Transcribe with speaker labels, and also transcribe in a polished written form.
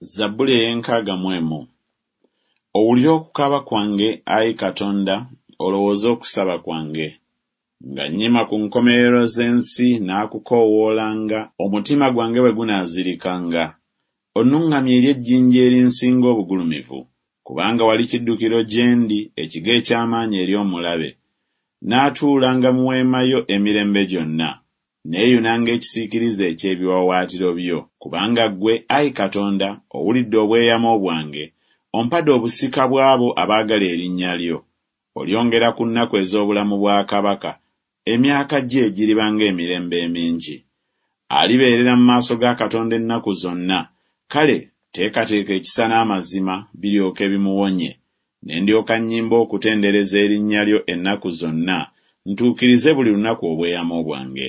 Speaker 1: Zabbuli ey'enkaaga mu emu. Owulire okukaaba kwange, ayi Katonda, olowooze okusaba kwange. Nga nnyima ku nkomerero z'ensi naakukoowoolanga, omutima gwange bwe gunaazirikanga. Onnuŋŋamye eri ejjinja erinsinga obugulumivu, kubanga wali kiddukiro gye ndi, ekigo eky'amaanyi eri omulabe. Naatuulanga mu weema yo emirembe gyonna, neeyunanga ekisiikirize eky'ebiwaawaatiro byo. Kubanga ggwe, ayi Katonda, owulidde obweyamo bwange, ompadde obusika bw'abo abaagala erinnya lyo. Olyongera ku nnaku ez'obulamu bwa kabaka, emyaka gye giriba ng'emirembe emingi. Alibeerera mu maaso ga Katonda ennaku zonna, kale teekateeka ekisa n'amazima biryoke bimuwonye. Ne ndyoka nnyimba okutendereza erinnya lyo ennaku zonna, ntuukirize buli lunaku obweyamo bwange.